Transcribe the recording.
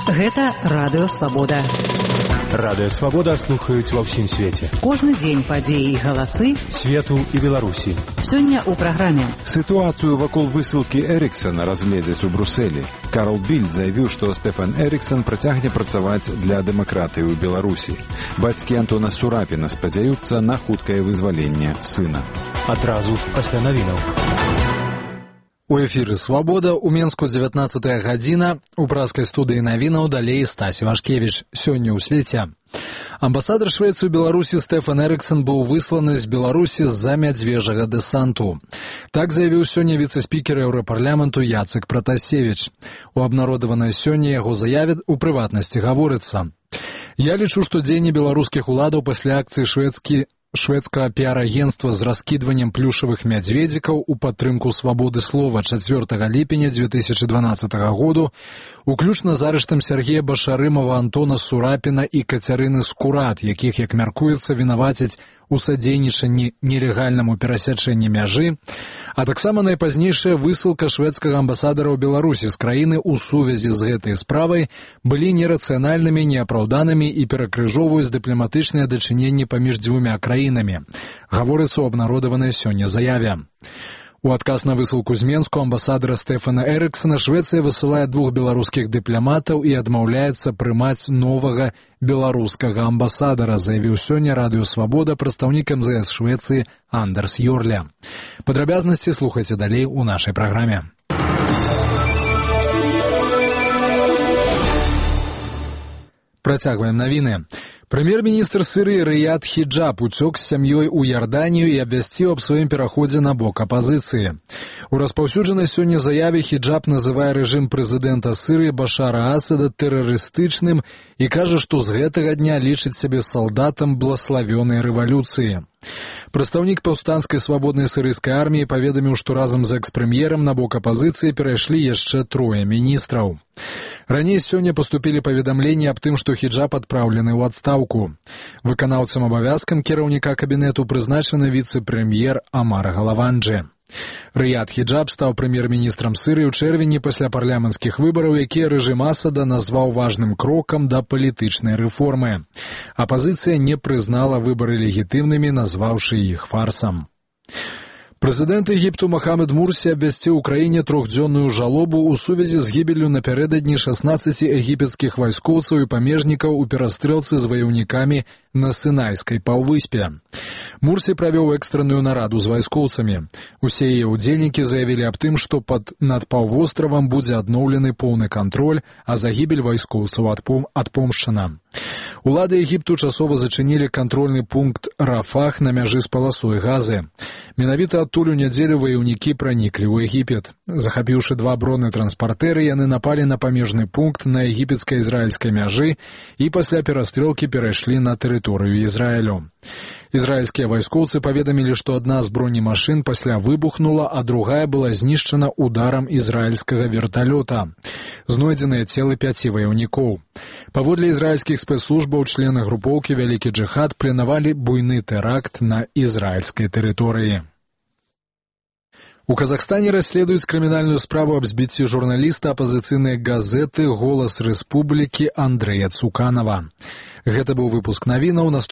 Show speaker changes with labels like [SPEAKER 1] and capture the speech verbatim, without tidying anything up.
[SPEAKER 1] Гэта Радыё Свабода.
[SPEAKER 2] Радыё Свабода слухаюць ва ўсім свеце.
[SPEAKER 1] Кожны дзень падзеі і галасы
[SPEAKER 2] свету і Беларусі.
[SPEAKER 1] Сёння ў праграме.
[SPEAKER 3] Сітуацыю вакол высылкі Эріксана разгледзяць у Брусэлі. Карл Більд заявіў, што Стэфан Эріксан працягне працаваць для дэмакратыі ў Беларусі. Бацькі Антона Сурапіна спадзяюцца на хуткае вызваленне сына.
[SPEAKER 2] Адразу пасля навінаў.
[SPEAKER 4] У эфіры «Свабода», у Менску дзевятнаццатая гадзіна, у праскай студыі навінаў далей Стась Вашкевіч. Сёння ў свеце. Амбасадар Швецыі ў Беларусі Стэфан Эріксан быў высланы з Беларусі з-за мядзвежага дэсанту. Так заявіў сёння віцэ-спікер Еўрапарламенту Яцек Пратасевіч. У абнародаванай сёння яго заяве у прыватнасці гаворыцца: «Я лічу, што дзеянні беларускіх уладаў пасля акцыі шведскі шведскага піар-агенства з раскідваннем плюшавых мядзведзікаў у падтрымку свабоды слова чацвёртага ліпеня дзве тысячы дванаццатага году, уключна з арыштам Сергея Башарымова, Антона Сурапіна і Кацярыны Скурат, якіх, як мяркуецца, вінавацяць у садзейнічанні нелегальнаму перасячэнні мяжы, а таксама найпазнейшая высылка шведскага амбасадара ў Беларусі з краіны ў сувязі з гэтай справай былі нерацыянальнымі, неапраўданымі і перакрыжоўваюць дыпламатычныя дачыненні паміж дзвюмя краінамі, гаворыцца ў абнародаванай сёння заяве. У адказ на высылку з Менску амбасадара Стэфана Эріксана Швецыя высылае двух беларускіх дыпламатаў і адмаўляецца прымаць новага беларускага амбасадара, заявіў сёння Радыё Свабода прадстаўнік эм зэ эс Швецыі Андерс Йорля. Падрабязнасці слухайце далей у нашай праграме. Працягваем навіны. Прэм'ер-міністр Сірыі Рыяд Хіджаб уцёк з сям'ёй у Ярданію і абвясціў аб сваім пераходзе на бок апазіцыі. У распаўсюджанай сёння заяве Хіджаб называе рэжым прэзідэнта Сірыі Башара Асада тэрарыстычным і кажа, што з гэтага дня лічыць сябе салдатам блаславёнай рэвалюцыі. Прадстаўнік паўстанцкай свабоднай сірыйскай арміі паведаміў, што разам з экс-прэм'ерам на бок апазіцыі перайшлі яшчэ трое міністраў. Раней сёння паступілі паведамленні аб тым, што Хіджаб адпраўлены ў адстаўку. Выканаўцам абавязкам кіраўніка кабінету прызначаны віцэ-прэм'ер Амар Галаванджы. Рыяд Хіджаб стаў прэм'ер-міністрам Сірыі ў чэрвені пасля парламенцкіх выбараў, якія рэжым Асада назваў важным крокам да палітычнай рэформы. Апазіцыя не прызнала выбары легітымнымі, назваўшы іх фарсам. Прэзідэнт Егіпту Махамед Мурсі абвясціў у краіне трохдзённую жалобу ў сувязі з гібеллю напярэдадні шаснаццаці егіпецкіх вайскоўцаў і памежнікаў у перастрэлцы з ваяўнікамі на Сінайскай паўвыспе. Мурсі правёў экстранную нараду з вайскоўцамі. Усе яе ўдзельнікі заявілі аб тым, што пад над паўвостравам будзе адноўлены поўны кантроль, а загібель вайскоўцаў адпом, адпомшчана. Улады Егіпту часова зачынілі кантрольны пункт Рафах на мяжы з паласой Газы. Менавіта адтуль у нядзелю ваяўнікі праніклі ў Егіпет. Захапіўшы два бронетранспартэры, яны напалі на памежны пункт на егіпецка-ізраільскай мяжы і пасля перастрэлкі перайшлі на тэрыторыю Ізраілю. Ізраільскія вайскоўцы паведамілі, што адна з бронемашын пасля выбухнула, а другая была знішчана ударам ізраільскага верталёта. Знойдзеныя целы пяці ваяўнікоў. Паводле ізраільскіх спецслужбаў, члены групоўкі «Вялікі джыхад» планавалі буйны тэракт на ізраільскай тэрыторыі. У Казахстане расследуюць крымінальную справу аб збіцці журналіста апазіцыйнай газеты «Голас Рэспублікі» Андрэя Цуканава. Гэта быў выпуск навінаў.